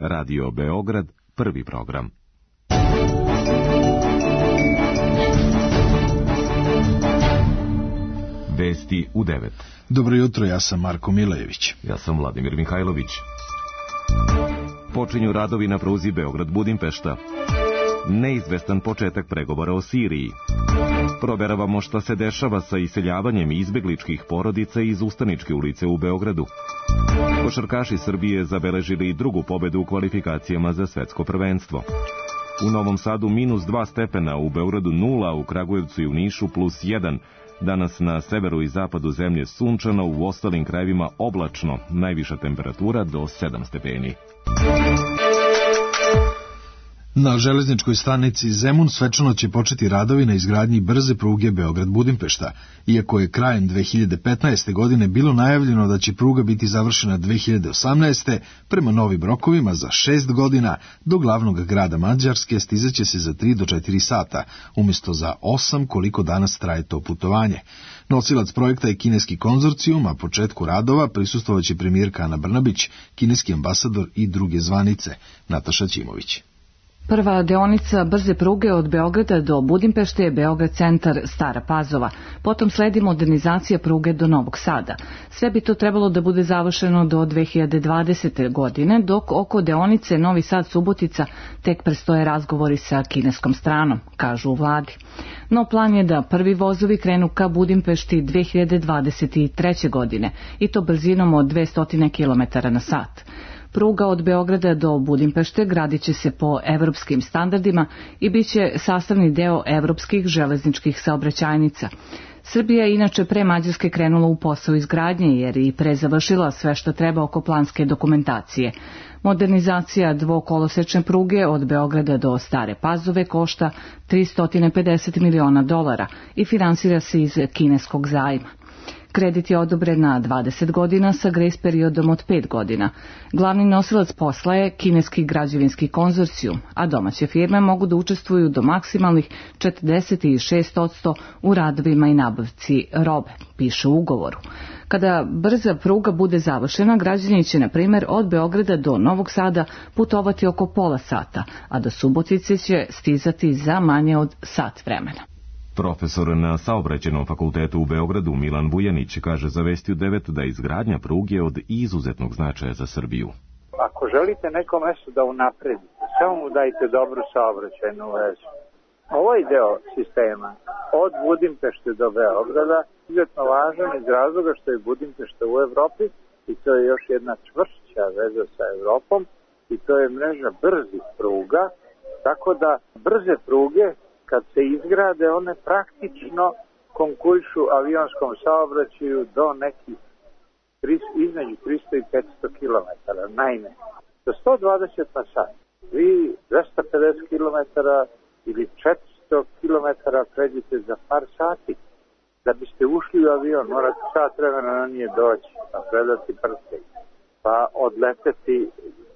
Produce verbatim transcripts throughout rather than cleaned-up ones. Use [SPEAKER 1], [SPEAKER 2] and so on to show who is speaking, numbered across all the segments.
[SPEAKER 1] Radio Beograd, prvi program. Vesti u devet.
[SPEAKER 2] Dobro jutro, ja sam Marko Milejević.
[SPEAKER 1] Ja sam Vladimir Mihajlović. Počinju radovi na pruzi Beograd-Budimpešta. Neizvestan početak pregovora o Siriji. Proveravamo šta se dešava sa iseljavanjem izbegličkih porodica iz Ustaničke ulice u Beogradu. Košarkaši Srbije zabeležili drugu pobedu u kvalifikacijama za svetsko prvenstvo. U Novom Sadu minus dva stepena, u Beogradu nula, u Kragujevcu i u Nišu plus jedan. Danas na severu i zapadu zemlje sunčano, u ostalim krajevima oblačno, najviša temperatura do sedam stepeni.
[SPEAKER 2] Na železničkoj stanici Zemun svečano će početi radovi na izgradnji brze pruge Beograd-Budimpešta. Iako je krajem dve hiljade petnaeste. godine bilo najavljeno da će pruga biti završena dve hiljade osamnaeste. prema novim rokovima za šest godina do glavnog grada Mađarske stizaće se za tri do četiri sata, umjesto za osam koliko danas traje to putovanje. Nosilac projekta je kineski konzorcijum, a početku radova prisustvovaće premijerka Ana Brnabić, kineski ambasador i druge zvanice. Nataša Ćimović.
[SPEAKER 3] Prva deonica brze pruge od Beograda do Budimpešte je Beograd centar Stara Pazova, potom sledi modernizacija pruge do Novog Sada. Sve bi to trebalo da bude završeno do dve hiljade dvadesete. godine, dok oko deonice Novi Sad Subotica tek predstoje razgovori sa kineskom stranom, kažu u vladi. No plan je da prvi vozovi krenu ka Budimpešti dve hiljade dvadeset treće. godine i to brzinom od dvesta kilometara na sat. Pruga od Beograda do Budimpešte gradit će se po evropskim standardima i bit će sastavni deo evropskih železničkih saobraćajnica. Srbija je inače pre Mađarske krenula u posao izgradnje jer i pre završila sve što treba oko planske dokumentacije. Modernizacija dvokolosečne pruge od Beograda do Stare Pazove košta tristo pedeset miliona dolara i finansira se iz kineskog zajma. Kredit je odobren na dvadeset godina sa grejs periodom od pet godina. Glavni nosilac posla je kineski građevinski konzorcijum, a domaće firme mogu da učestvuju do maksimalnih četrdeset šest posto u radovima i nabavci robe, piše u ugovoru. Kada brza pruga bude završena, građani će, na primjer, od Beograda do Novog Sada putovati oko pola sata, a do Subotice će stizati za manje od sat vremena.
[SPEAKER 1] Profesor na Saobraćajnom fakultetu u Beogradu Milan Bujanić kaže za Vesti u devet da izgradnja pruge od izuzetnog značaja za Srbiju.
[SPEAKER 4] Ako želite neko mesto da unapredite, samo mu dajte dobru saobraćajnu vezu. Ovaj deo sistema od Budimpešte do Beograda izuzetno važan iz razloga što je Budimpešta u Evropi i to je još jedna čvršća veza sa Evropom i to je mreža brzih pruga, tako da brze pruge kad se izgrade, one praktično konkurišu avionskom saobraćaju do nekih između tristo i petsto kilometara. Naime, do sto dvadeset na sat vi dvesta pedeset kilometara ili četiristo kilometara pređete za par sati. Da biste ušli u avion, morate sat vremena na nije doći, pa predati prste, pa odleteti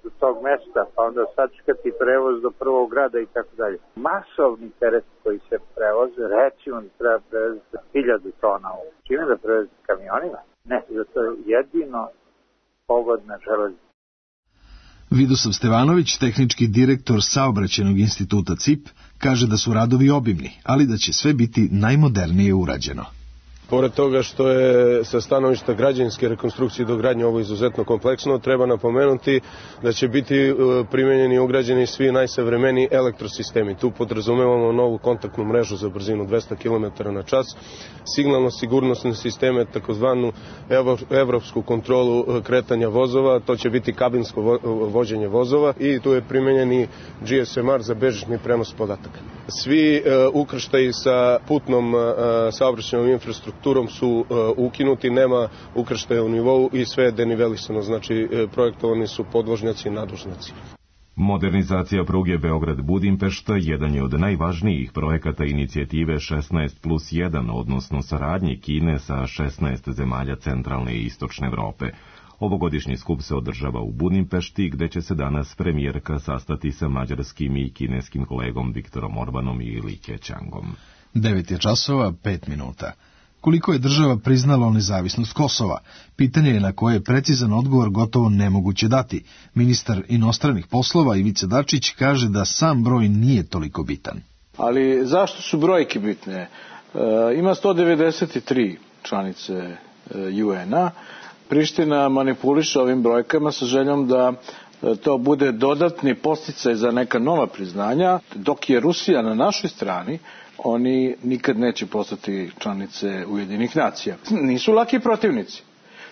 [SPEAKER 4] do tog mesta, pa onda sačekati prevoz do prvog grada i tako dalje. Masovni teret koji se prevoze, recimo da treba prevezati hiljadu tona. Čime da prevezati kamionima? Ne, zato je jedino pogodna železnica.
[SPEAKER 2] Vidosav Stevanović, tehnički direktor Saobraćajnog instituta C I P, kaže da su radovi obimni, ali da će sve biti najmodernije urađeno.
[SPEAKER 5] Pored toga što je sa stanovišta građevinske rekonstrukcije i dogradnje ovo izuzetno kompleksno, treba napomenuti da će biti primenjeni i ugrađeni svi najsavremeniji elektrosistemi. Tu podrazumevamo novu kontaktnu mrežu za brzinu dvesta kilometara na čas, signalno-sigurnosne sisteme, takozvanu evropsku kontrolu kretanja vozova, to će biti kabinsko vođenje vozova i tu je primenjeni G S M R za bežični prenos podataka. Svi ukrštaji sa putnom saobraćajnom infrastrukturom turom su uh, ukinuti, nema ukrštaja u nivou i sve je denivelisano, znači uh, projektovani su podvožnjaci i nadvožnjaci.
[SPEAKER 1] Modernizacija pruge Beograd-Budimpešta jedan je od najvažnijih projekata inicijative šesnaest plus jedan, odnosno saradnje Kine sa šesnaest zemalja centralne i istočne Evrope. Ovogodišnji skup se održava u Budimpešti, gde će se danas premijerka sastati sa mađarskim i kineskim kolegom Viktorom Orbanom i Li Keqiangom.
[SPEAKER 2] Devet je časova, pet minuta. koliko je država priznala nezavisnost Kosova. Pitanje je na koje je precizan odgovor gotovo nemoguće dati. Ministar inostranih poslova Ivica Dačić kaže da sam broj nije toliko bitan.
[SPEAKER 6] Ali zašto su brojke bitne? E, ima sto devedeset tri članice e, U N a. Priština manipuliše ovim brojkama sa željom da to bude dodatni podsticaj za neka nova priznanja, dok je Rusija na našoj strani, oni nikad neće postati članice Ujedinjenih nacija. Nisu laki protivnici.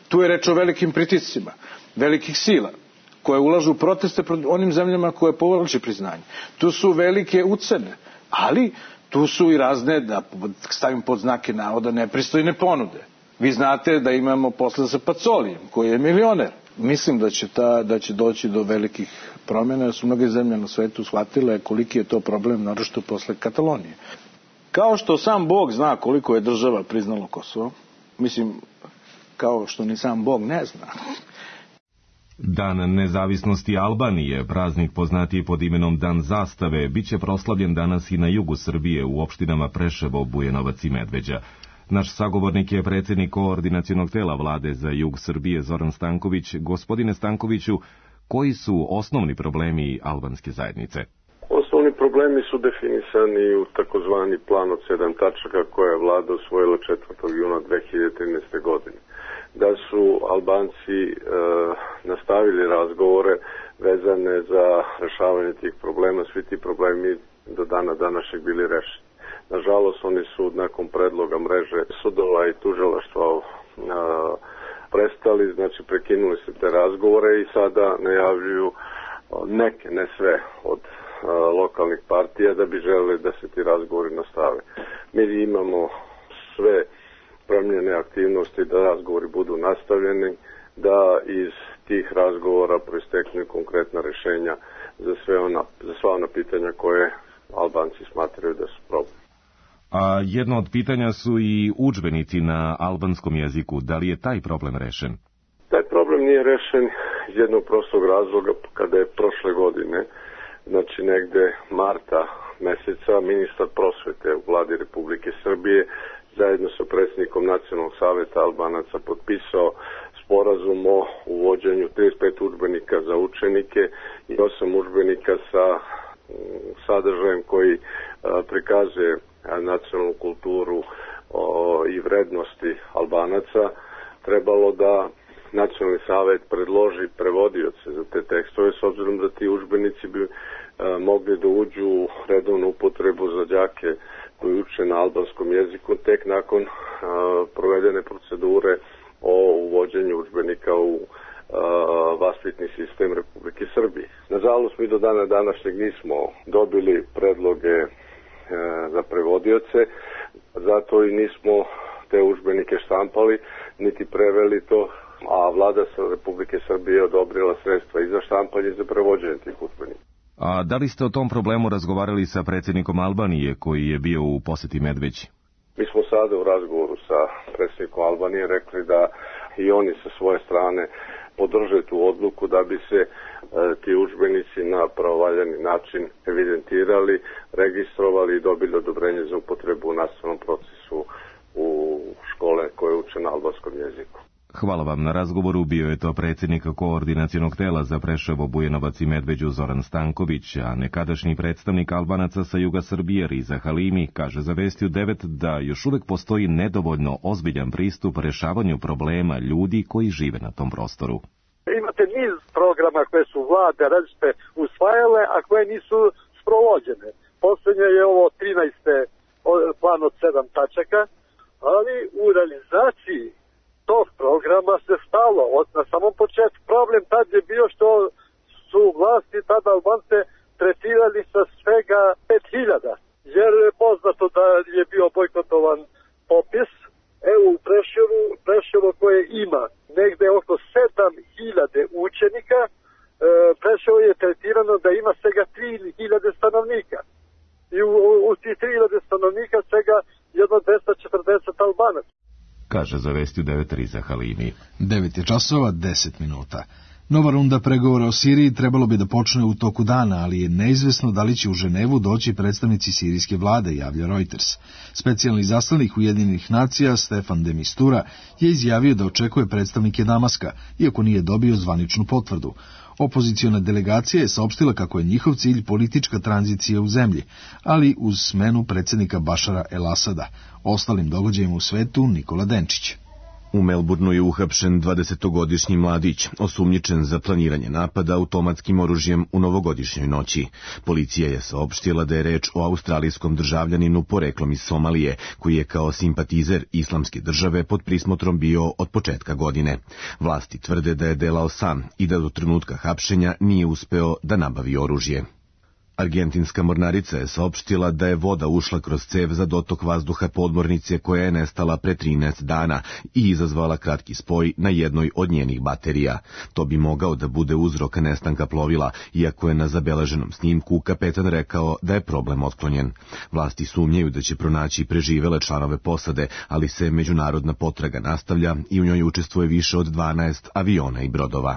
[SPEAKER 6] Tu je reč o velikim pritiscima, velikih sila, koje ulažu proteste protiv onim zemljama koje povlače priznanje. Tu su velike ucene, ali tu su i razne, da stavim pod znake navoda, nepristojne ponude. Vi znate da imamo posla sa Pacolijem, koji je milioner. Mislim da će, ta, da će doći do velikih promjena, jer su mnoge zemlje na svetu shvatile koliki je to problem, naročito posle Katalonije. Kao što sam Bog zna koliko je država priznalo Kosovo, mislim, kao što ni sam Bog ne zna.
[SPEAKER 1] Dan nezavisnosti Albanije, praznik poznatiji pod imenom Dan zastave, bit će proslavljen danas i na jugu Srbije u opštinama Preševo, Bujanovac i Medveđa. Naš sagovornik je predsjednik koordinacionog tela vlade za jug Srbije Zoran Stanković. Gospodine Stankoviću, koji su osnovni problemi albanske zajednice?
[SPEAKER 7] Osnovni problemi su definisani u takozvani plan od sedam tačaka koje je vlada usvojila četvrtog juna dve hiljade trinaeste. godine. Da su Albanci e, nastavili razgovore vezane za rešavanje tih problema, svi ti problemi do dana današnjeg bili rešeni. Nažalost, oni su nakon predloga mreže sudova i tužilaštva a, prestali, znači prekinuli se te razgovore i sada najavljuju neke, ne sve, od a, lokalnih partija da bi želeli da se ti razgovori nastave. Mi imamo sve promjene aktivnosti da razgovori budu nastavljeni, da iz tih razgovora proisteknu konkretna rješenja za sve ona, za sva ona pitanja koje Albanci smatraju da su problem.
[SPEAKER 1] A jedno od pitanja su i udžbenici na albanskom jeziku. Da li je taj problem rešen?
[SPEAKER 7] Taj problem nije rešen iz jednog prostog razloga kada je prošle godine, znači negde marta meseca, ministar prosvete u vladi Republike Srbije zajedno sa predsjednikom Nacionalnog saveta Albanaca potpisao sporazum o uvođenju trideset pet udžbenika za učenike i osam udžbenika sa sadržajem koji prikazuje nacionalnu kulturu o, i vrednosti Albanaca. Trebalo da Nacionalni savet predloži prevodioce za te tekstove, s obzirom da ti udžbenici bi a, mogli da uđu u redovnu upotrebu za đake koji uče na albanskom jeziku tek nakon a, provedene procedure o uvođenju udžbenika u a, vaspitni sistem Republike Srbije. Nažalost, mi do dana današnjeg nismo dobili predloge za prevodioce, zato i nismo te udžbenike štampali, niti preveli to, a vlada Republike Srbije odobrila sredstva i za štampanje i za prevođenje tih udžbenika.
[SPEAKER 1] A da li ste o tom problemu razgovarali sa predsjednikom Albanije koji je bio u posjeti Medveđi?
[SPEAKER 7] Mi smo sada u razgovoru sa predsjednikom Albanije rekli da i oni sa svoje strane podrže tu odluku da bi se e, ti udžbenici na pravovaljani način evidentirali, registrovali i dobili odobrenje za upotrebu u nastavnom procesu u škole koje uče na albanskom jeziku.
[SPEAKER 1] Hvala vam na razgovoru. Bio je to predsjednik koordinacionog tela za Preševo, Bujanovac i Medveđu Zoran Stanković, a nekadašnji predstavnik Albanaca sa juga Srbije Riza Halimi kaže za Vestiju devet da još uvek postoji nedovoljno ozbiljan pristup rešavanju problema ljudi koji žive na tom prostoru.
[SPEAKER 8] Imate niz programa koje su vlade različite usvajale, a koje nisu sprovođene. Poslednje je ovo trinaeste plan od sedam tačaka, ali u realizaciji tog programa se stalo od na samom početku. Problem tad je bio što su vlasti tada Albance tretirali sa svega pet hiljada, jer je poznato da je bio bojkotovan popis. Evo u Preševu, Preševo koje ima negde oko sedam hiljada učenika, e, Preševo je tretirano da ima svega tri hiljade stanovnika. I u, u tih tri hiljade stanovnika svega jedno dvesta četrdeset Albanaca.
[SPEAKER 1] Kaže za Vestiju devet Riza Halimi.
[SPEAKER 2] devet je časova, deset minuta. Nova runda pregovora o Siriji trebalo bi da počne u toku dana, ali je neizvesno da li će u Ženevu doći predstavnici sirijske vlade, javlja Reuters. Specijalni izaslanik Ujedinjenih nacija Stefan de Mistura je izjavio da očekuje predstavnike Damaska, iako nije dobio zvaničnu potvrdu. Opoziciona delegacija je saopštila kako je njihov cilj politička tranzicija u zemlji, ali uz smenu predsjednika Bašara el-Asada. Ostalim događajima u svetu Nikola Denčić.
[SPEAKER 1] U Melbourneu je uhapšen dvadesetogodišnji mladić, osumnjičen za planiranje napada automatskim oružjem u novogodišnjoj noći. Policija je saopštila da je reč o australijskom državljaninu poreklom iz Somalije, koji je kao simpatizer islamske države pod prismotrom bio od početka godine. Vlasti tvrde da je delao sam i da do trenutka hapšenja nije uspeo da nabavi oružje. Argentinska mornarica je saopštila da je voda ušla kroz cev za dotok vazduha podmornice koja je nestala pre trinaest dana i izazvala kratki spoj na jednoj od njenih baterija. To bi mogao da bude uzrok nestanka plovila, iako je na zabeleženom snimku kapetan rekao da je problem otklonjen. Vlasti sumnjaju da će pronaći preživele članove posade, ali se međunarodna potraga nastavlja i u njoj učestvuje više od dvanaest aviona i brodova.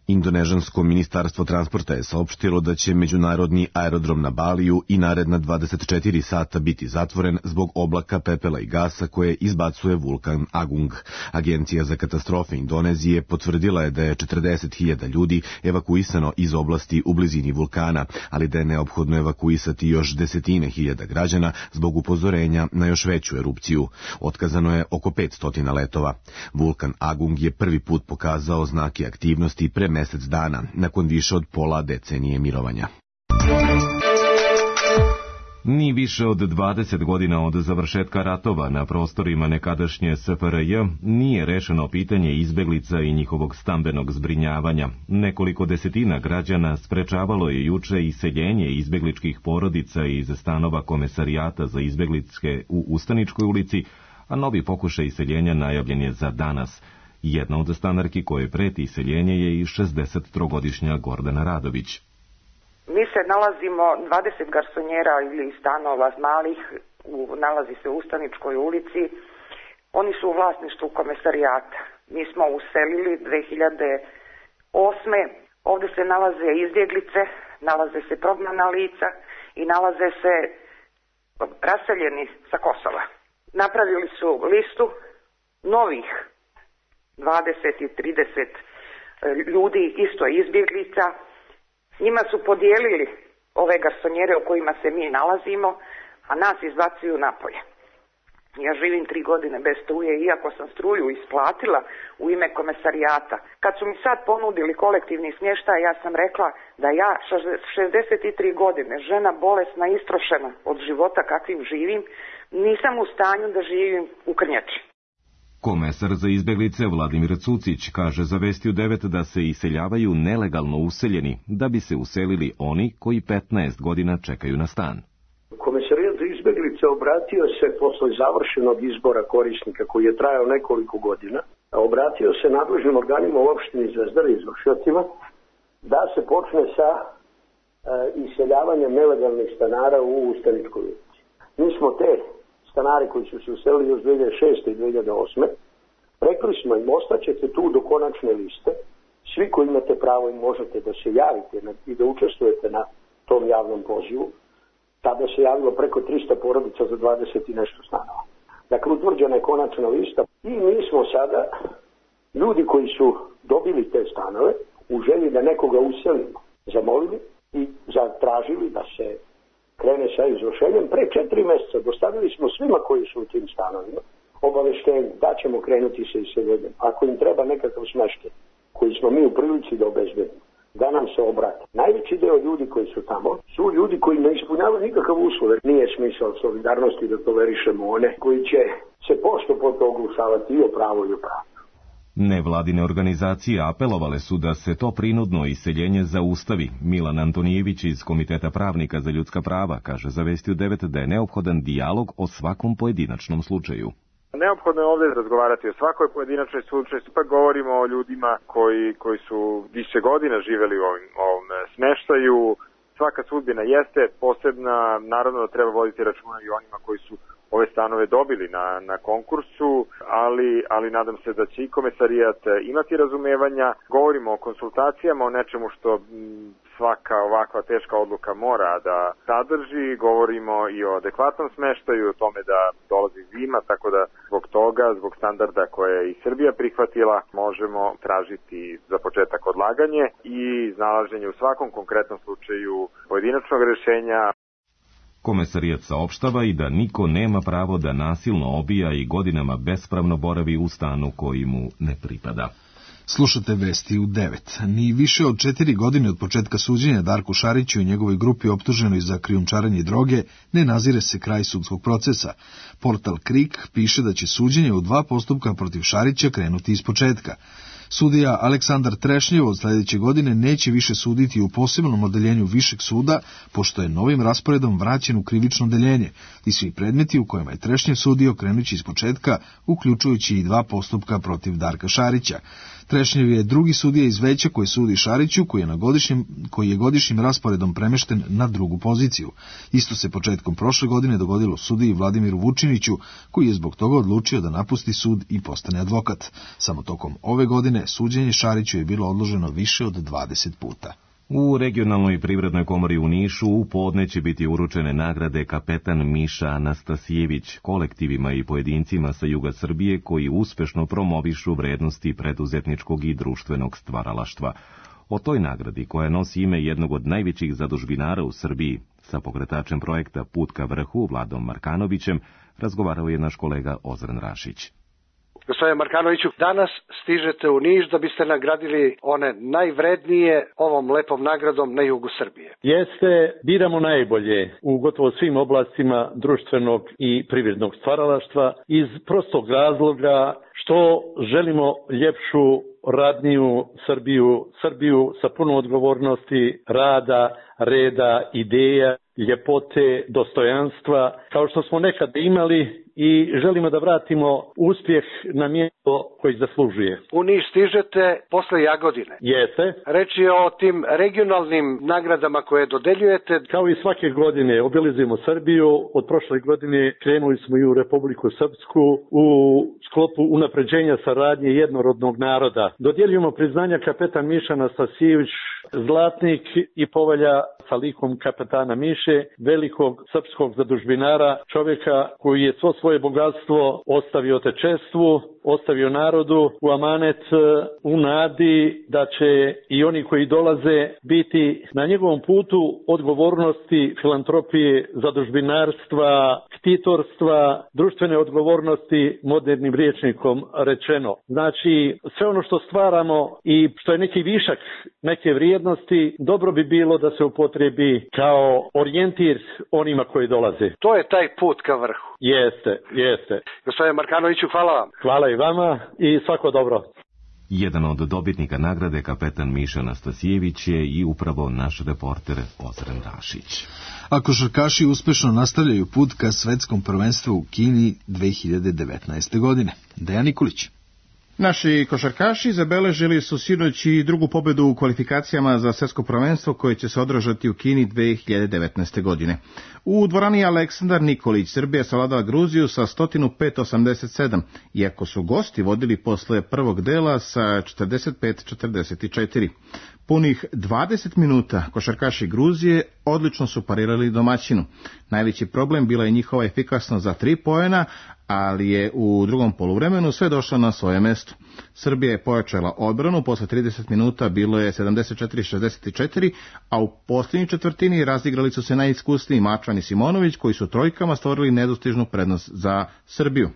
[SPEAKER 1] Indonežansko ministarstvo transporta je saopštilo da će međunarodni aerodrom na Baliju i naredna dvadeset četiri sata biti zatvoren zbog oblaka pepela i gasa koje izbacuje vulkan Agung. Agencija za katastrofe Indonezije potvrdila je da je četrdeset hiljada ljudi evakuisano iz oblasti u blizini vulkana, ali da je neophodno evakuisati još desetine hiljada građana zbog upozorenja na još veću erupciju. Otkazano je oko petsto letova. Vulkan Agung je prvi put pokazao znake aktivnosti pre mesec dana, nakon više od pola decenije mirovanja. Ni više od dvadeset godina od završetka ratova na prostorima nekadašnje S F R J nije rešeno pitanje izbeglica i njihovog stambenog zbrinjavanja. Nekoliko desetina građana sprečavalo je juče iseljenje izbegličkih porodica iz stanova Komesarijata za izbegličke u Ustaničkoj ulici, a novi pokušaj iseljenja najavljen je za danas. Jedna od stanarki koje preti iseljenje je i šezdesettrogodišnja Gordana Radović.
[SPEAKER 9] Mi se nalazimo dvadeset garsonjera ili stanova malih, u, nalazi se u Ustaničkoj ulici. Oni su u vlasništvu Komesarijata. Mi smo uselili dve hiljade osme. Ovde se nalaze izbjeglice, nalaze se prognana lica i nalaze se raseljeni sa Kosova. Napravili su listu novih dvadeset i trideset ljudi, isto izbjeglica. Njima su podijelili ove garsonjere u kojima se mi nalazimo, a nas izbacuju napolje. Ja živim tri godine bez struje, iako sam struju isplatila u ime Komesarijata. Kad su mi sad ponudili kolektivni smještaj, ja sam rekla da ja šezdeset tri godine, žena bolesna, istrošena od života kakvim živim, nisam u stanju da živim u Krnjači.
[SPEAKER 1] Komesar za izbeglice Vladimir Cucić kaže za Vesti u devet da se iseljavaju nelegalno useljeni, da bi se uselili oni koji petnaest godina čekaju na stan.
[SPEAKER 10] Komesarijat za izbeglice obratio se posle završenog izbora korisnika koji je trajao nekoliko godina, obratio se nadležnim organima u opštini Zvezdar i izvršiocima da se počne sa e, iseljavanjem nelegalnih stanara u Ustaničkoj ulici. Mi smo te stanari koji su se uselili još dve hiljade šeste i dve hiljade osme rekli smo im, ostaćete tu do konačne liste, svi koji imate pravo i možete da se javite i da učestvujete na tom javnom pozivu. Tada se javilo preko trista porodica za dvadeset i nešto stanova. Dakle, utvrđena je konačna lista i mi smo sada, ljudi koji su dobili te stanove, u želji da nekoga uselimo, zamolili i zatražili da se krene sa izvršenjem. Pre četiri mjeseca dostavili smo svima koji su u tim stanovima obaveštenje da ćemo krenuti sa iseljenjem. Ako im treba nekakav smeštaj koji smo mi u prilici da obezbedimo, da nam se obrate. Najveći deo ljudi koji su tamo su ljudi koji ne ispunjavaju nikakav uslov. Nije smisao solidarnosti da tolerišemo one koji će se pošto po to oglušavati i o pravo i o pravo.
[SPEAKER 1] Nevladine organizacije apelovale su da se to prinudno iseljenje zaustavi. Milan Antonijević iz Komiteta pravnika za ljudska prava kaže za Vesti u devet da je neophodan dijalog o svakom pojedinačnom slučaju.
[SPEAKER 11] Neophodno je ovdje razgovarati o svakoj pojedinačnoj slučaju. Ipak govorimo o ljudima koji, koji su više godina živjeli u ovom, ovom smeštaju. Svaka sudbina jeste posebna, naravno da treba voditi računa i onima koji su ove stanove dobili na, na konkursu, ali, ali nadam se da će i komesarijat imati razumevanja. Govorimo o konsultacijama, o nečemu što m, svaka ovakva teška odluka mora da sadrži, govorimo i o adekvatnom smeštaju, o tome da dolazi zima, tako da zbog toga, zbog standarda koje je i Srbija prihvatila, možemo tražiti za početak odlaganje i iznalaženje u svakom konkretnom slučaju pojedinačnog rešenja.
[SPEAKER 1] Komesarijat saopštava i da niko nema pravo da nasilno obija i godinama bespravno boravi u stanu koji mu ne pripada.
[SPEAKER 2] Slušate vesti u devet. Ni više od četiri godine od početka suđenja Darku Šariću i njegovoj grupi optuženoj za krijumčarenje droge ne nazire se kraj sudskog procesa. Portal Krik piše da će suđenje u dva postupka protiv Šarića krenuti iz početka. Sudija Aleksandar Trešnjev od sledeće godine neće više suditi u posebnom odeljenju Višeg suda, pošto je novim rasporedom vraćen u krivično odeljenje i svi predmeti u kojima je Trešnjev sudio krenući iz početka, uključujući i dva postupka protiv Darka Šarića. Trešnjev je drugi sudija iz veća koji sudi Šariću, koji je, na godišnjem, koji je godišnjim rasporedom premešten na drugu poziciju. Isto se početkom prošle godine dogodilo sudiji Vladimiru Vučiniću, koji je zbog toga odlučio da napusti sud i postane advokat. Samo tokom ove godine suđenje Šariću je bilo odloženo više od dvadeset puta.
[SPEAKER 1] U regionalnoj privrednoj komori u Nišu u podne će biti uručene nagrade Kapetan Miša Anastasijević kolektivima i pojedincima sa juga Srbije koji uspešno promovišu vrednosti preduzetničkog i društvenog stvaralaštva. O toj nagradi, koja nosi ime jednog od najvećih zadužbinara u Srbiji, sa pokretačem projekta Put ka vrhu Vladom Markanovićem, razgovarao je naš kolega Ozren Rašić.
[SPEAKER 12] Gospodine Markanoviću, danas stižete u Niš da biste nagradili one najvrednije ovom lepom nagradom na jugu Srbije.
[SPEAKER 13] Jeste, biramo najbolje u gotovo svim oblastima društvenog i privrednog stvaralaštva iz prostog razloga što želimo ljepšu, radniju Srbiju, Srbiju sa puno odgovornosti, rada, reda, ideja, ljepote, dostojanstva, kao što smo nekad imali i želimo da vratimo uspjeh na mjesto koji zaslužuje.
[SPEAKER 12] U Niš stižete posle Jagodine.
[SPEAKER 13] Jeste.
[SPEAKER 12] Reč je o tim regionalnim nagradama koje dodeljujete.
[SPEAKER 13] Kao i svake godine obilazimo Srbiju. Od prošle godine krenuli smo i u Republiku Srpsku u sklopu unapređenja saradnje jednorodnog naroda. Dodjeljujemo priznanja kapetan Miša Anastasijević, zlatnik i povelja sa likom kapetana Miše, velikog srpskog zadužbinara, čovjeka koji je svo svoje bogatstvo ostavio otečestvu, ostavio narodu u amanet, u nadi da će i oni koji dolaze biti na njegovom putu odgovornosti, filantropije, zadužbinarstva, ktitorstva, društvene odgovornosti, modernim rječnikom rečeno. Znači, sve ono što stvaramo i što je neki višak neke vrijednosti, dobro bi bilo da se upotrebi kao orijentir onima koji dolaze.
[SPEAKER 12] To je taj put ka vrhu.
[SPEAKER 13] Jeste, jeste.
[SPEAKER 12] Gospodine Markanoviću, hvala vam.
[SPEAKER 13] Hvala i vama i svako dobro.
[SPEAKER 1] Jedan od dobitnika nagrade kapetan Miša Anastasijević je i upravo naš reporter Ozren Rašić.
[SPEAKER 2] A košarkaši uspešno nastavljaju put ka svetskom prvenstvu u Kini dve hiljade devetnaeste. godine. Dejan Nikolić.
[SPEAKER 14] Naši košarkaši zabeležili su sinoć i drugu pobedu u kvalifikacijama za svetsko prvenstvo koje će se održati u Kini dve hiljade devetnaeste. godine. U dvorani Aleksandar Nikolić Srbija savladala Gruziju sa sto pet osamdeset sedam, iako su gosti vodili posle prvog dela sa četrdeset pet četrdeset četiri. Punih dvadeset minuta košarkaši Gruzije odlično su parirali domaćinu. Najveći problem bila je njihova efikasnost za tri poena, ali je u drugom poluvremenu sve došlo na svoje mesto. Srbija je pojačala odbranu, posle trideset minuta bilo je sedamdeset četiri šezdeset četiri, a u posljednjoj četvrtini razigrali su se najiskusniji Mačvan i Simonović, koji su trojkama stvorili nedostižnu prednost za Srbiju.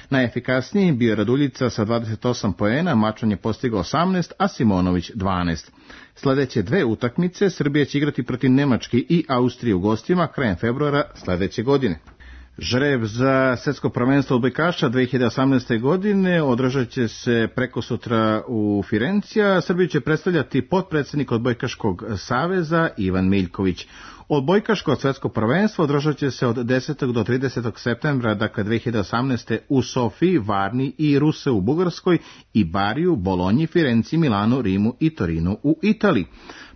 [SPEAKER 14] Najefikasniji bio je Raduljica sa dvadeset osam poena, Mačvan je postigao osamnaest, a Simonović dvanaest. Sledeće dve utakmice Srbija će igrati protiv Nemačke i Austrije u gostima krajem februara sledeće godine. Žreb za svetsko prvenstvo odbojkaša dve hiljade osamnaeste. godine održat će se preko sutra u Firencija. Srbiju će predstavljati potpredsednik odbojkaškog saveza Ivan Miljković. Odbojkaško svetsko prvenstvo održat će se od desetog do tridesetog septembra, dakle dve hiljade osamnaeste. u Sofiji, Varni i Ruse u Bugarskoj i Bariju, Bolonji, Firenci, Milanu, Rimu i Torinu u Italiji.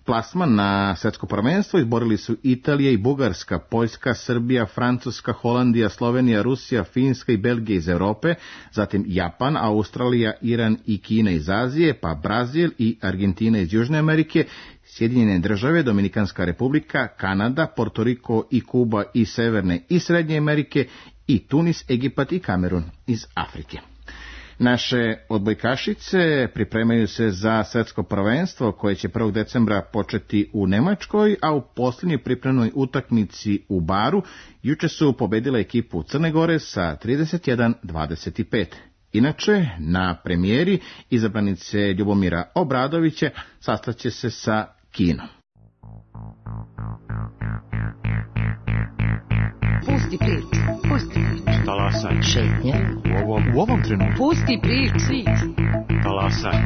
[SPEAKER 14] Plasman na svetsko prvenstvo izborili su Italija i Bugarska, Poljska, Srbija, Francuska, Holandija, Slovenija, Rusija, Finska i Belgija iz Europe, zatim Japan, Australija, Iran i Kina iz Azije, pa Brazil i Argentina iz Južne Amerike, Sjedinjene države, Dominikanska republika, Kanada, Portoriko i Kuba iz Severne i Srednje Amerike i Tunis, Egipat i Kamerun iz Afrike. Naše odbojkašice pripremaju se za svetsko prvenstvo koje će prvog decembra početi u Nemačkoj, a u posljednjoj pripremnoj utakmici u Baru juče su pobedile ekipu Crne Gore sa trideset jedan dvadeset pet. Inače, na premijeri izabranice Ljubomira Obradovića sastaće se sa Kinom.
[SPEAKER 15] Pusti priču, pusti priču.
[SPEAKER 16] Talasaj.
[SPEAKER 15] Šetnje.
[SPEAKER 16] U ovom, u ovom trenutku.
[SPEAKER 15] Pusti priču.
[SPEAKER 16] Talasaj.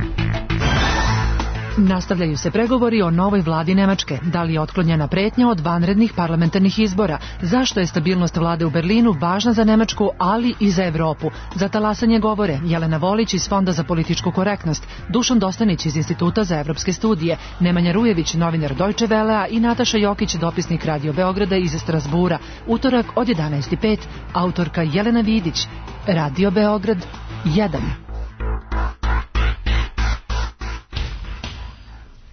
[SPEAKER 17] Nastavljaju se pregovori o novoj vladi Nemačke. Da li je otklonjena pretnja od vanrednih parlamentarnih izbora? Zašto je stabilnost vlade u Berlinu važna za Nemačku, ali i za Evropu? Za talasanje govore Jelena Volić iz Fonda za političku korektnost, Dušan Dostanić iz Instituta za evropske studije, Nemanja Rujević, novinar Deutsche Wellea i Nataša Jokić, dopisnik Radio Beograda iz Strasbura. Utorak od jedanaest i pet, autorka Jelena Vidić. Radio Beograd jedan.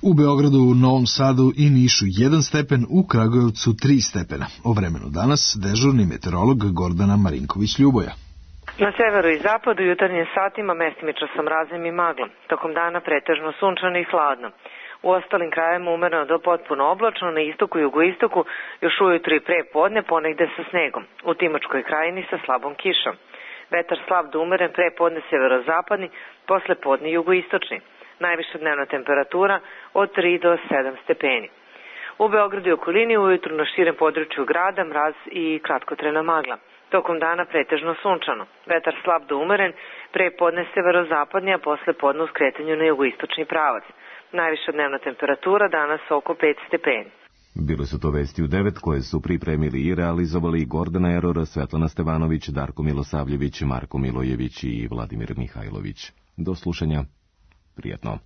[SPEAKER 2] U Beogradu, Novom Sadu i Nišu jedan stepen, u Kragujevcu tri stepena. O vremenu danas dežurni meteorolog Gordana Marinković-Ljuboja.
[SPEAKER 18] Na severu i zapadu jutarnjim satima mestimično sa mrazom i maglom. Tokom dana pretežno sunčano i hladno. U ostalim krajevima umereno do potpuno oblačno, na istoku i jugoistoku još ujutru i pre podne ponegde sa snegom. U Timočkoj krajini sa slabom kišom. Vetar slab do umeren, pre podne severozapadni, posle podne jugoistočni. Najviša dnevna temperatura od tri do sedam stepeni. U Beogradu i okolini ujutru na širem području grada mraz i kratkotrajna magla. Tokom dana pretežno sunčano. Vetar slab do umeren, pre podne severozapadni, a posle podne u skretanju na jugoistočni pravac. Najviša dnevna temperatura danas oko pet stepeni.
[SPEAKER 1] Bile su to vesti u devet koje su pripremili i realizovali Gordana Eror, Svetlana Stevanović, Darko Milosavljević, Marko Milojević i Vladimir Mihajlović. Do slušanja. Prijetno.